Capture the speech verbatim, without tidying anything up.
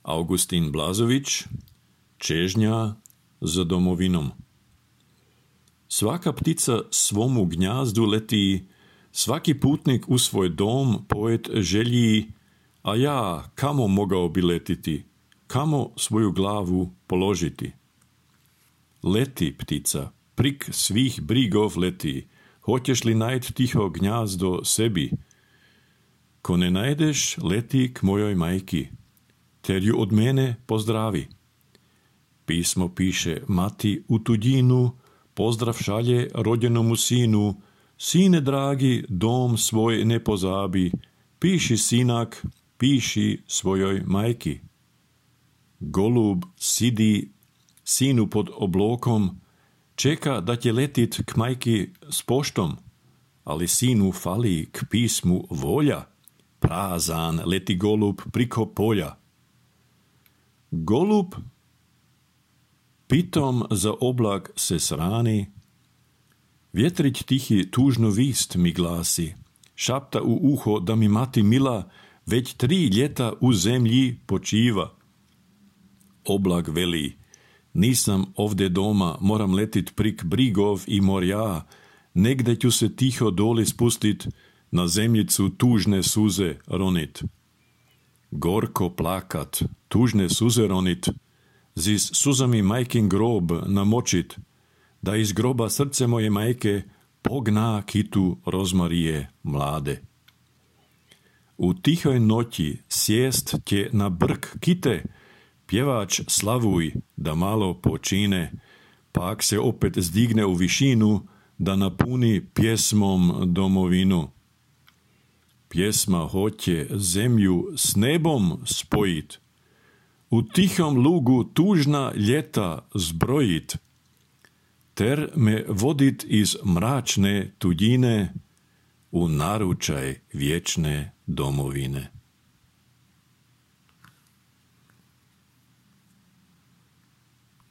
Augustín Blazović, Čežnja za domovinom. Svaka ptica svomu gnjazdu leti, svaki putnik u svoj dom poet želji, a ja kamo mogao bi letiti, kamo svoju glavu položiti. Leti, ptica, prik svih brigov leti, hoćeš li najd tiho gnjazdo sebi? Ko ne najdeš, leti k mojoj majki, ter ju od mene pozdravi. Pismo piše mati u tuđinu, pozdrav šalje rođenomu sinu, sine dragi, dom svoj ne pozabi, piši sinak, piši svojoj majki. Golub sidi sinu pod oblokom, čeka da će letit k majki s poštom, ali sinu fali k pismu volja, prazan leti golub priko polja. Golub pitom za oblak se srani, vjetrić tihi tužno vist mi glasi, šapta u uho da mi mati mila već tri ljeta u zemlji počiva. Oblak veli, nisam ovdje doma, moram letit prik brigov i morja, negde ću se tiho doli spustit, na zemljicu tužne suze ronit. Gorko plakat, tužne suze ronit, zis suzami majkin grob namočit, da iz groba srce moje majke pogna kitu rozmarije mlade. U tihoj noći sjest tje na brk kite, pjevač slavuj da malo počine, pak se opet zdigne u višinu, da napuni pjesmom domovinu. Pjesma hoće zemlju s nebom spojit, u tihom lugu tužna ljeta zbrojit, ter me vodit iz mračne tuđine u naručaj vječne domovine.